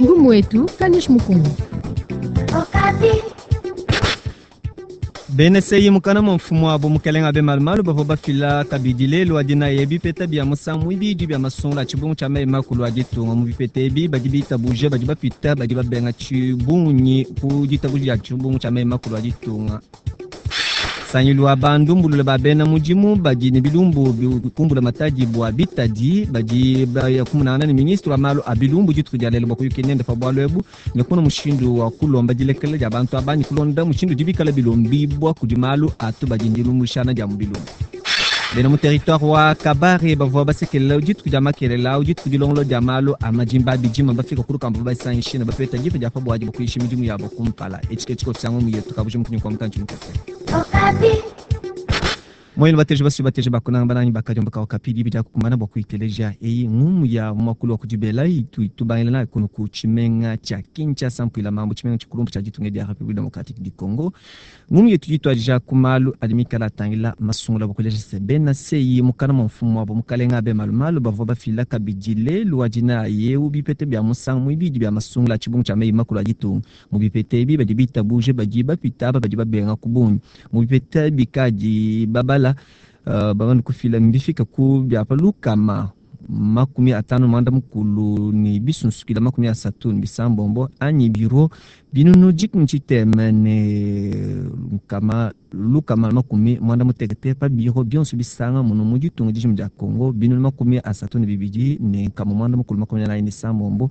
Ngumu wetu Kanish Mukongo. Bena seyi mukana mua mfumu wabo mukelenge Abe Malumalu bavua bafila kabidi lelu wa dinayi bipeta bia musangu muibidi bia masungula a tshibungu tshia meyi makulu a ditunga. Mu bipeta ebi badi bitabuje badi bapita badi babenga tshibungi ku ditabuja dia tshibungu tshia meyi makulu a ditunga. Nsangilu wa bandumbulula ba bena mudimu badi ne bilumbu bikumbula matadi bua bitadi badi baya kumonangana ne ministre wa malu a bilumbu dituku dia lelu bua kuyukila nende pa bualu ebu ne kumona mushindu wa kulomba dilekela dia bantu aba ne kulonda mushindu udi bikala bilombibua kudi malu a tubadi ndilumbuluishana dia mu bilumbu. Bena mu territoire wa Kabare bavua basekelela dituku dia makelela au dituku dilongolola dia malu a majimba a bidima bafika ku lukamba basangishe ne bapeta dipa dia pa buadi bua kuyisha midimu yabo kumpala. Etshi ke tshikoso tshia ngumu yetu kabuji mukunyi kua mutantshi mukese. Moyenu bateji basu bateji bakunanga banangi bakadiomba kawa kapi dibi dia kukumbana bua kuyiteleja eyi ngumu ya muakulu wa kudibela itu itubangila nayi kunu ku tshimenga tshia Kinshasa mpuila mambu tshimenga tshikulumpu tshia ditunga dia Republique Democratique du Congo. Ngumu yetu ituadija ku malu adi mikala atangila masungula bua kuleja se bena seyi mukana mua mfumu wabo mukalenga Abe Malumalu bavua bafila kabidi lelu wa dinayi eu bipeta bia musangu muibidi bia masungula a tshibungu tshia meyi makulu a ditunga. Mu bipeta ebi badi bitabuje badi bapita aba badi babenga ku bungi. Mu bipeta bikadi babala bamane kufila mbifika ku bia pa 551 ne bisunsukila 36 anyi biro 603 ne 160 pa biro bionso bisanga muno mu ditunga dijima dia Congo 32 ne 946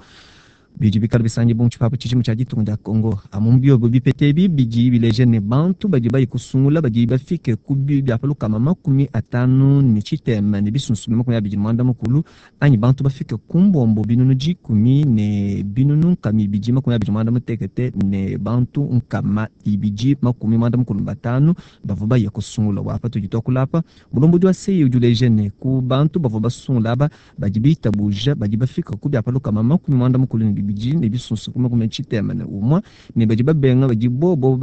bidi bikala bisangi mu tshipapu tshijima tshia ditunga dia Congo. Amu biobo bipeta ebi bidi bileja ne bantu badi bayi kusungula badi bafike ku bia pa 56 ne bisunsukile 29 anyi bantu bafike ku mbombo 10 000 ne 286 ne bantu 295 bavua baye kusungula. Bua apa tudi tuakula apa mulombodi wa seyi udi uleja ne ku bantu bavua basungula aba badi bitabuja badi bafika ku bia pa 92 ne bisunsukile 61 ne badi babenga badi bobo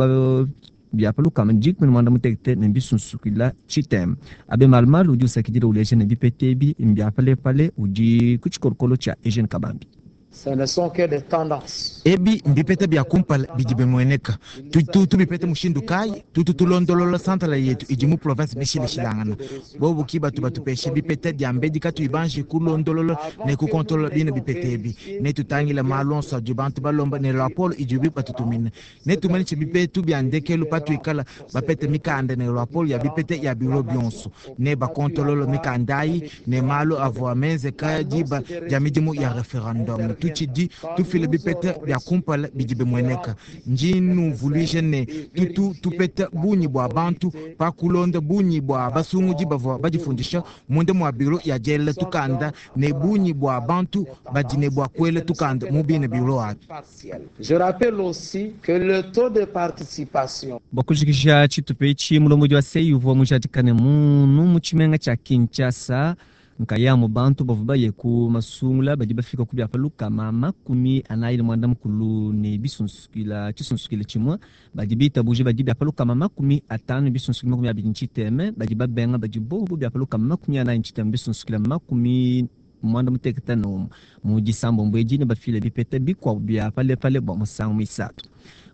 bia pa 186 ne bisunsukila tshitema. Abe Malumalu udi usakidila uleja ne bipeta ebi mbia palepale udi ku tshikolokolo tshia Eugene Kabambi. Ce ne sont que des tendances. Ebi mbipeta bia kumpala bidi bimueneka. Tutu tubipeta mushindu kayi? Tutu tulondolola santala yetu idi mu province bishilashilangana. Bobu ki batu batupesha bipeta dia mbedi katuyi banji kulondolola ne kukontolola bina bipeta ebi. Netutangile malu onso adi bantu balomba ne raporo idibu batutumina. Netumanyishe bipetu bia ndekelu patuikala bapete mikanda ne raporo ya bipeta ya biro bionso. Ne bakontolola mikanda ayi ne malu avua menzeka diba dia midimu ya referendum. Tutshidi tufila bipeta bia kumpala bidi bimueneka. Ndi nnuvuluija ne tutu tupeta bungi bua bantu pa kulonda bungi bua basungudi bavua badifundisha munda mua biro ya diela tukanda ne bungi bua bantu badi ne bua kuela tukanda mu bine biro abi. Je rappelle aussi que le taux de participation. Bua kujikija tshitupa etshi, mulombodi wa seyi uvua mujadikane munu mu tshimenga tshia Kinshasa nkayamu bantu bavua baye ku masungula badi bafika ku bia pa 490 ne bisunsukila tshisunsukile tshimue badi bitabuje badi bia pa 50 bisunsukila 29 badi babenga badi bobo bia pa 49 bisunsukila 91 mu disambombo edi ne bafile bipeta bikuabu bia palepale bua musangu muisatu.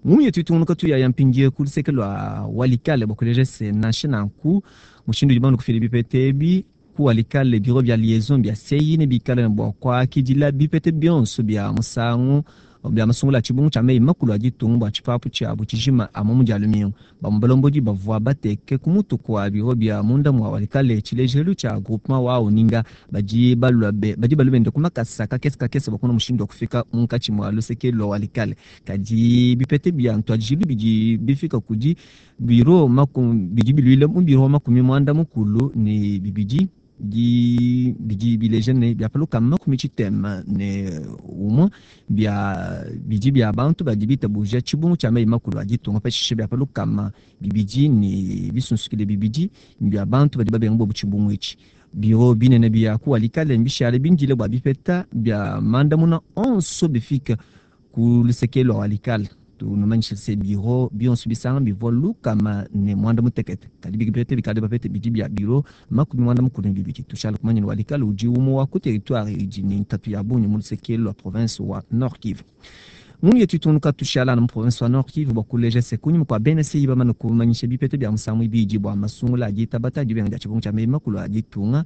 Ngumu yetu itungunuka tuyaya mpindieu ku luseke lua Walikale bua kuleja se nansha nanku mushindu udi bantu kufila bipeta ebi ku Walikale biro bia liaison bia seyi ne bikale ne bua kuakidila bipeta bionso bia musangu bia masungula a tshibungu tshia meyi makulu a ditunga bua tshipapu tshiabu tshijima amu mu dia lumingu. Bamue balombodi bavua bateke ku mutu kua biro bia munda mua Walikale tshilejelu tshia groupement wa Oninga badi balua badi balua bende ku makasa kakese kakese bua kumona mushindu wa kufika munkatshi mua luseke lua Walikale. Kadi bipeta bia ntuadijilu bidi bifika kudi biro bidi biluile mu biro 92 di bidi bileja ne bia pa 61 bia bidi bia bantu badi bitabuja tshibungu tshia meyi makulu a ditunga pashishe bia pa 200 ne bisunsukile bibidi bia bantu badi babenga bobu tshibungu etshi. Biro binene bia ku Walikale mbishale bindile bua bipeta bia mandamuna onso bifika ku luseke lua Walikale. Tunumanyishe se biro bionso bisanga bivua 160, kadi bipete bikadi bapete bidi bia biro 42. Tushala kumanya ne Walikale udi umue wa ku territoire idi ne ntatu ya bungi mu luseke lua province wa Nord Kivu. Ngunu yetu itunuka tushala mu province wa Nord Kivu bua kuleja se kunyima kua bena CEI bamane kumanyisha bipete bia musangu ibidi bua masungula adi tabata dibenga dia tshibungu tshia meyi makulu a ditunga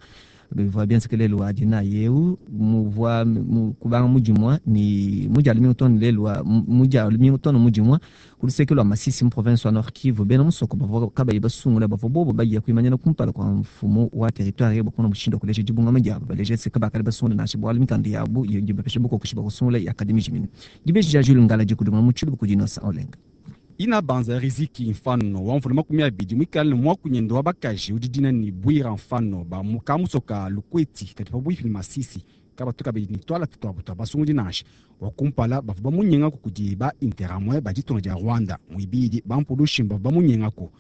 bivua bienzeke lelu wa dinayi eu muvua kubanga mudimua ne mudia lumingu too ne lelu wa mudia lumingu too ne mudimua ku luseke lua Masisi mu province wa Nord Kivu. Bena musoko bavua kabayi basungula bavua bobo baye kuimanyina kumpala kua mfumu wa territoire bua kumona mushindu wa kuleja dibungama diabu, baleja se kabakadi basungula nansha bualu mikanda yabu idi bapesha bukokeshi bua kusungula yakadi mijimine. Dibeji dia Jules Ngala dikudimuna mu tshiluba kudi Innocent Olenga. Ina banza Riziki Mfano wa mvula 20 mwikale ne mwakunyendo wa bakaji udi dina ni Bwira Mfano ba mukamusoka Lukweti kadi pabuipi ni Masisi kabatu kabidi ni twala tutwabu twa basungudi nansha wa kumpala bavua bamunyengako kudi ba Interahamwe ba ditunga dia Rwanda muibidi bampulushi bavua bamunyengako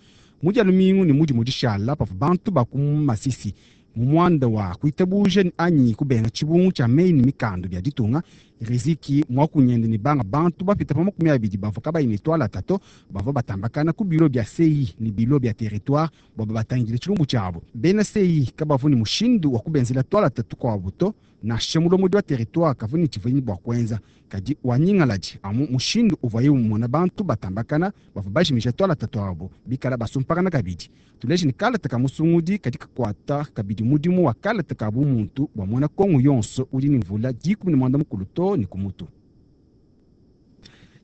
mudia lumingu ne mudi mudishala pavua bantu ba ku Masisi mu muanda wa kuitabuja anyi kubenga tshibungu tshia meyi ne mikanda bia ditunga. Riziki mwakunyende ne banga bantu bapita pa 20 bavua kabayi ne twala tato bavua batambakana ku bilo bia CEI ne bilo bia territoire bua batangile tshilumbu tshiabu. Bena CEI kabavua ne mushindu wa kubenzela twala tatu kuabu to, nansha mulomodi wa territoire kavua ne tshivuenyi bua kuenza, kadi wanyingaladi amu mushindu uvuaye umona bantu batambakana bavua bajimija twala tatu abo bikala basumpakana kabidi. Tuleje ne kalata ka musungudi kadi kakuata kabidi mudimu wa kalata ka bumuntu bua muena Kongo yonso udi ne mvula 18 to ne ku mutu.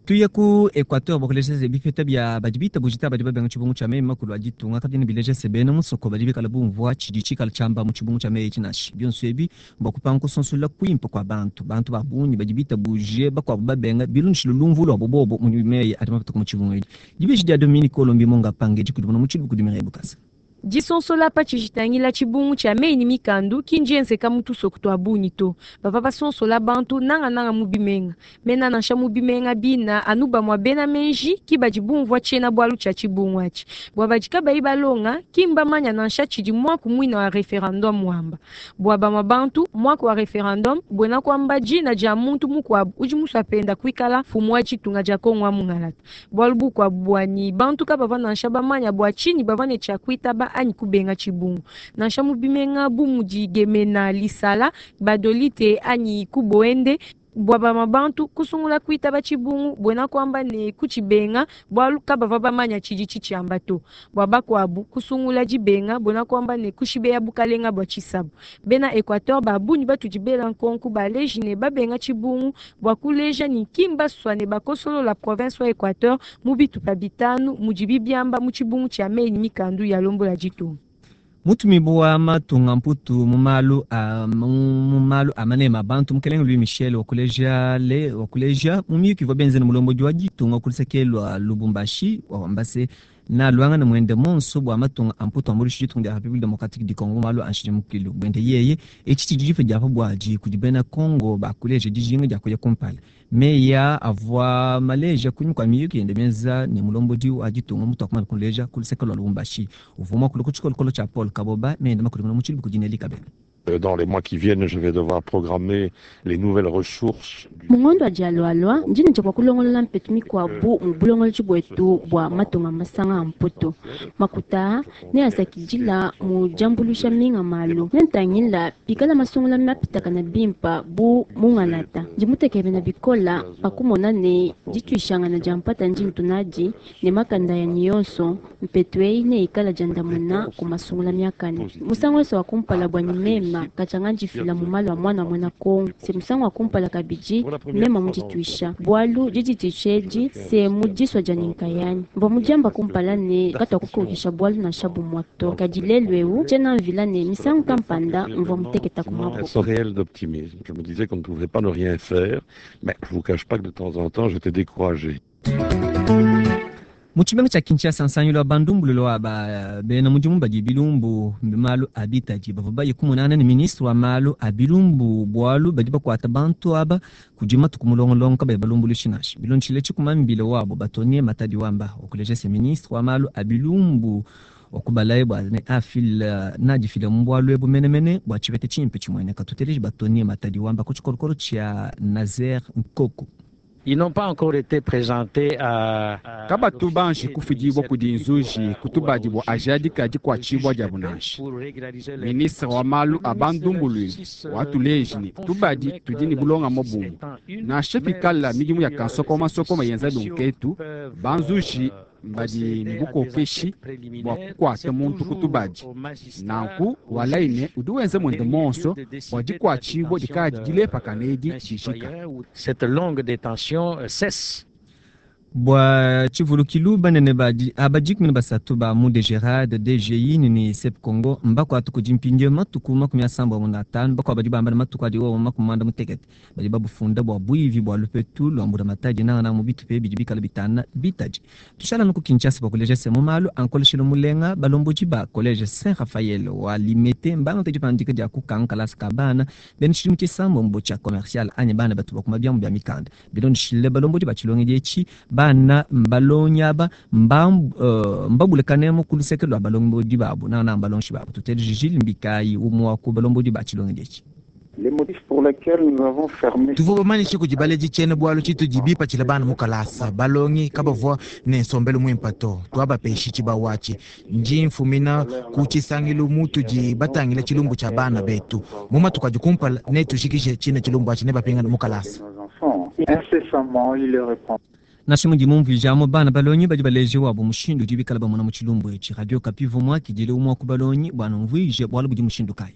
Tuye ku Equateur bua kuleja se bipeta bia badi bitabujita badi babenga tshibungu tshia meyi makulu a ditunga kabiena bileja se bena musoko badi bikala bumvua tshidi tshikala tshiamba mu tshibungu tshia meyi tshinashi. Bionso ebi mbua kupanga kusonsola kuimpe kua bantu, bantu ba bungi badi bitabuje bakuabu babenga bilondeshile lumvu luabo bobo mu meyi adi mapatuka mu tshibungu edi. Dibeji dia Dominique Olombi Monga Pange dikudimuna mu tshiluba kudi Mireille Bukasa. Disonsola pa tshijitangila tshibungu tshia meyi ne mikandu ki ndienzeka mu tusoko tua bungi to. Bavua basonsola bantu nangananga mu bimenga. Mena nansha mu bimenga bina anu bamue bena meji ki badi bumvua tshiena-bualu tshia tshibungu atshi. Bua badi kabayi balonga, ki mbamanya nansha tshidi muaku muina wa referendum wamba. Bua bamue bantu, muaku wa referendum buena kuamba dina dia muntu mukuabu udi musua penda kuikala mfumu wa ditunga dia Kongo wa Mungalata. Bualu bukuabu buanyi, bantu kabavua nansha bamanya bua tshinyi bavua ne tshia kuitaba anyi kubenga tshibungu. Nansha mu bimenga bu mudi Gemena, Lisala, Gbadolite anyi Kuboende, bua bamue bantu kusungula kuitaba tshibungu buena kuamba ne kutshibenga bualu kabavua bamanya tshidi tshitshiamba to. Bua bakuabu kusungula dibenga buena kuamba ne kushibeya bukalenga bua tshisabu. Bena Equateur ba bungi batudi bela nkonku baleji ne babenga tshibungu bua kuleja ni kimbasua ne bakosolola province wa Equateur mu bitupa bitanu mudibi biamba mu tshibungu tshia meyi ne mikandu ya lombola ditunga. Mutumibu wa matunga mputu mu malu a mu malu a manema bantu mukelenge Louis Michel wakuleja le wakuleja mu miyuki ivua benze ne mulombodi wa ditunga ku luseke lua Lubumbashi wamba se na luanga ne mwende monso bua matunga a mputu ambuluisha ditunga dia République démocratique du Congo malu a nshidimukilu buende yeye etshi tshidi dipa dia pa buadi kudi bena Congo bakuleja dijinga dia kuya kumpala. Meya avua maleja kunyima kua miyuki yende mienza ne mulombodi wa ditunga mutu akumana kuleja ku luseke lua Lubumbashi uvua muakule ku tshikolokolo tshia Paul Kaboba meyende makudimuna mu tshiluba kudi Nelly Kabena. Dans les mois qui viennent, je vais devoir programmer les nouvelles ressources. Mungondo wa dialualua ndine tshia kulongolola mpetu mikuabu mu bulongolodi buetu bua matunga masanga a mputu. Makuta ne asakidila mu diambuluisha minga malu ne ntangila pikala masungula mapitakana bimpa bu mungalata. Ndi mutekemena bikola pakumona ne dituishangana dia mpata ndi ntunadi ne makanda yanyi yonso mpetu eyi ne ikala diandamuna ku masungula miakane. Musangu wonso wa kumpala bwanyi mema kachanga ndifila mu malu a mwana muena Kongo. Se musangu wa kumpala kabidi mema mudituisha bualu didituisha edi se mudisua dia ninkayani mbua mudiamba kumpala ne katuakukokesha bualu nansha bumue to. Kadi lelu eu tshiena mvila ne misangu kampanda mvua muteketa ku maboko. Sans réel d'optimisme. Je me disais qu'on ne pouvait pas ne rien faire, mais je vous cache pas que de temps en temps j'étais découragé. Mu tshimenga tshia Kinshasa nsangilu wa bandumbululu wa ba bena mudimu badi bilumbu malu a bitadi bavua baye kumonana ne ministre wa malu a bilumbu bualu badi bakuata bantu aba kudi matuku mulongolongo kabayi balumbuluishi nansha. Bilondeshile tshikuma mbile wabo Batonie Matadi wamba okuleja se ministre wa malu a bilumbu wakubalaye bua ne afila nadifila mu bualu ebu menemene bua tshipete tshimpe tshimueneka. Tuteleje Batonie Matadi wamba ku tshikolokolo tshia Nazer Nkoko. Ils n'ont pas encore été présentés à Kabatu banji kufidibwa kudi nzuji kutubadibwa ajadika dikuatshibua diabu nansha. Ministre wa malu a bandumbulwile watuleji ne tubadi tudi ne bulonga mobumu nansha pikala midimu ya kansokomasokoma yenza lunketu banzuji mbadi ne bukokeshi bua kukuata muntu kutubadi nanku walaine udi wenza mwende monso bua dikuatshibua dikadi dilepakana edi dijika. Cette longue détention cesse. Bua tshivulukilu banene badi abadikumi basatu ba mu DGRAD, DGI ne SEP Congo mbakuatu kudi mpindieu matuku 35 bakuabu badi bamba ne matuku adi wowo 68 badi babufunda bua buivi bua lupetu lua mbulamatadi nangananga mu bitupa bidi bikala bitana bitadi. Tushala nuku Kinshasa bua kuleja se mu malu a nkoleshelo mulenga balombodi ba collège Saint Raphaël wa Limete mbangata dipandika dia kukanga kalasa ka bana bena tshidimu tshisambombo tshia commercial anyi bana batu bakuma biamu bia mikanda bilondeshile balombodi ba tshilongedi etshi bana mbalonyaba mbabulekanemo ku luseke lua balombodi babu nangananga balongeshi babu. Tuteleje Jules Mbikayi umwe wa ku balombodi ba tshilongedi etshi. Les motifs pour lesquels nous avons fermé Tuvua bamanyishe kudi baledi tshiena bualu tshitudi bipatshila bana mu kalasa balongi kabavua ne nsombelu muimpe to tuabapeshi tshibawu atshi ndi mfumina ku tshisangilu mutudi batangila tshilumbu tshia bana betu mu matuku adi kumpala netujikije tshine tshilumbu atshi ne bapingana mu kalasa. nos enfants. Incessamment, il leur répond. Nansha mudi mumvuijamo bana balongi badi baleje wabo mushindu udi bikala bamona mu tshilumbu etshi. Radio Okapi vumwa kidile umwe wa ku balongi bua numvuije bualu budi mushindu kayi.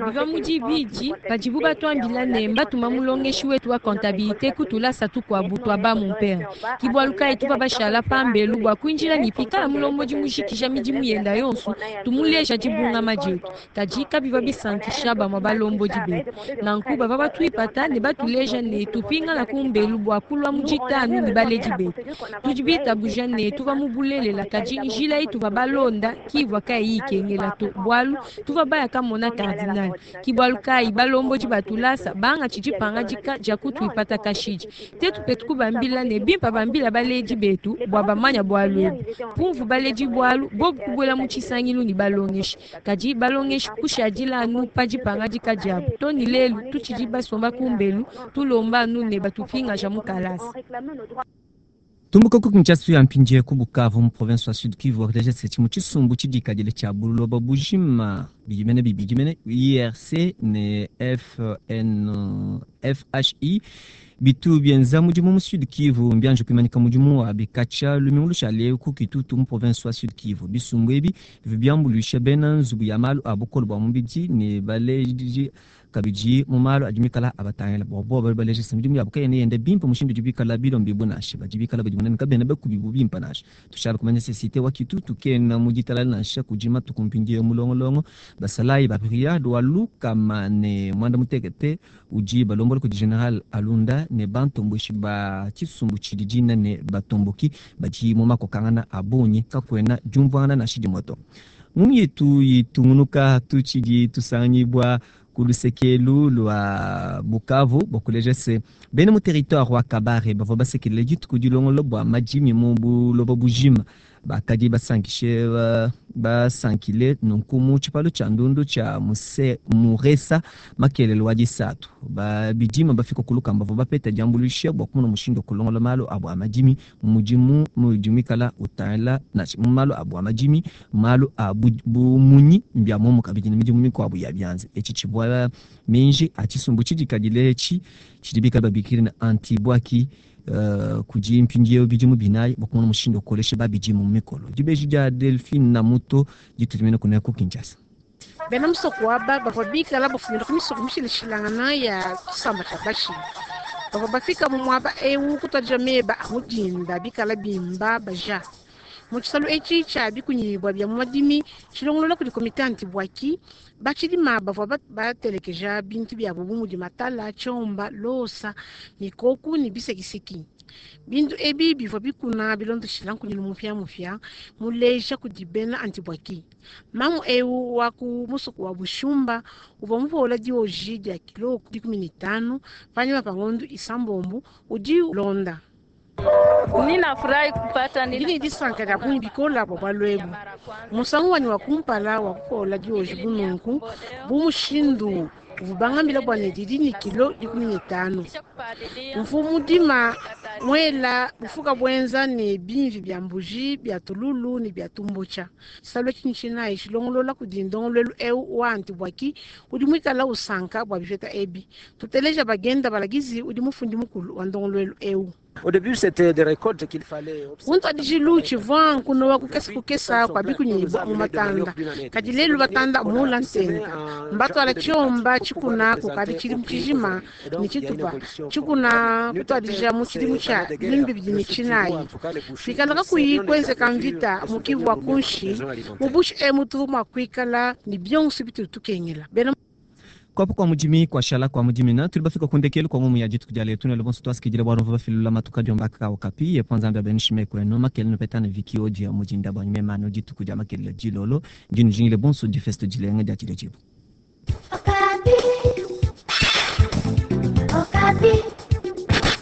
Biva mu dibidi padibu batuambila ne mbatuma mulongeshi wetu wa comptabilité kutulasa tukuabu tua ba mumpere ke bualu kayi tuva bashala pambelu bua kuinjila ne pikala mulombodi mujikija midimu yenda yonso tumuleja dibungama dietu kadi kabiva bisankisha bamue balombodi betu nanku bava batuipata ne batuleja ne tupingana kumbelu bua kulua mu ditanu ne baledi betu tudi bitabuja ne tuva mu bulelela kadi njila ituva balonda kivua kayi ikengela to bualu tuva baya kamona cardinal ke bualu kayi balombodi batulasa banga tshidi pangadika dia kutuipata kashidi tetu petu kubambila ne bimpa bambila baledi betu bua bamanya bualu ebu pumvu baledi bualu bobu kubuela mu tshisangilu ne balongeshi kadi balongeshi kushadila anu pa dipangadika diabu to ne lelu tutshidi basomba kumbelu tulomba anu ne batupingaja mu kalasa. Tumbuka ku Kinshasa ya mpindieu ku Bukavu mu province wa Sud Kivu wakuleja se tshimu tshisumbu tshidikadile tshia buloba bujima bidi mene bibidi mene IRC ne FN, FHI bitu bienza mudimu mu Sud Kivu mbianji kuimanyika mudimu wa bikatsha lumingu lushale ku Kitutu mu province wa Sud Kivu. Bisumbu ebi bivua biambuluisha bena nzubu ya malu a bukole bua mubidi ne baleji kabidi mu malu adi mikala abatangila bua bobo bali baleja se midimu yabu kayena yenda bimpe mushindu udi bikala bilombibu nansha badi bikala badi munene kabena bakubibu bimpe nansha. Tushala kumanya se cité wa Kitutu kena mu ditalala nansha kudi matuku mpindieu mulongolongo basalayi ba brigade wa lukama ne mwanda mutekete udi balombola kudi General Alunda ne bantomboshi ba tshisumbu tshidi dina ne batomboki badi mu makokangana a bungi kakuena diumvuangana nansha dimue to. Ngumu yetu itungunuka tutshidi tusanganyibua ku lusekelu lua Bukavu bua kuleja se bena mu territoire wa Kabare bavua basekelela dituku dilongolola bua madimi mu buloba bujima bakadi basankishe basankile nunku mu tshipalo tshia ndundu tshia Muresa makelelo wa disatu babidima bafika ku lukamba bavua bapeta diambuluisha bua kumona mushindu wa kulongola malu abu a madimi mudimu mudimikala utangila nansha mu malu abu a madimi malu a bumunyi mbia momo kabidi ne midimu mikuabu ya bianza etshi tshibua minji a tshisumbu tshidikadile etshi tshidi bikala babikile ne antibwaki kudi mpindieu bidimu binayi bua kumona mushindu wa kukolesha babidimu mu mikolo. Dibeji dia Delphine na muto ditutumina kuna ku Kinshasa. Bena musoko aba bavua bikala bafumina ku misoko mishilashilangana ya tshisamba tshia Bashi. Bavua bafika mu muaba eu kutuadija meba a mudinda bikala bimba baja. Mu tshisalu etshi tshia bikunyibua bia mu madimi tshilongolola kudi komite antibwaki batshidima bavua batelekeja bintu biabu bu mudi matala, tshiomba, losa, mikoku ne bisekiseki. Bintu ebi bivua bikuna bilondeshila nkunyilu mupiamupia muleja kudi bena antibwaki. Mamu eu wa ku musoko wa Bushumba uvua mupola dioji dia kilo 15 panyima pa ngondo isambombo udi ulonda. Ninafurahi kupata Ndi ne disanka dia bungi bikola bua bualu ebu. Musangu wanyi wa kumpala wa kupola dioji bu nunku, bu mushindu uvua bangambila bua ne didi ne kilo 15. Mvua mudima muela bufuka buenza ne bimvi bia mbuji, bia tululu ne bia tumbucha. Tshisalu etshi ntshinayi tshilongolola kudi ndongoluelu eu wa Antibwaki udi muikala usanka bua bipeta ebi. Tuteleja bagenda balagizi udi mufundi mukulu wa ndongoluelu eu. Au début, c'était des récoltes qu'il fallait Ku ntuadijilu tshivua nkunowa kukesa kukesa kua bikunyibua mu matanda, kadi lelu batanda mula ntenta mbatwala tshiomba tshikuna kukadi tshidimu tshijima ne tshitupa tshikuna kutuadija mu tshidimu tshia 2009. Pikala kakuyi kuenzeka mvita mu Kivu wa kunshi, mu bushi emu tuvua mua kuikala ne bionso bitudi tukengela. Bena Kuapo kua mudimi kuashala kua mudimi na tuli bafika ku ndekelu kua ngumu ya dituku dia lelu ne bonso tuasikidile bua rumva bafilula matuka diomba ka okapi yepo Nzambi abenishime kwenu makele nupetane viki odi ya mudinda bua nyumemano dituku dia makele dilolo ndinu jingile bonso difesto dilenga dia tshile tshibu. Okapi. Okapi.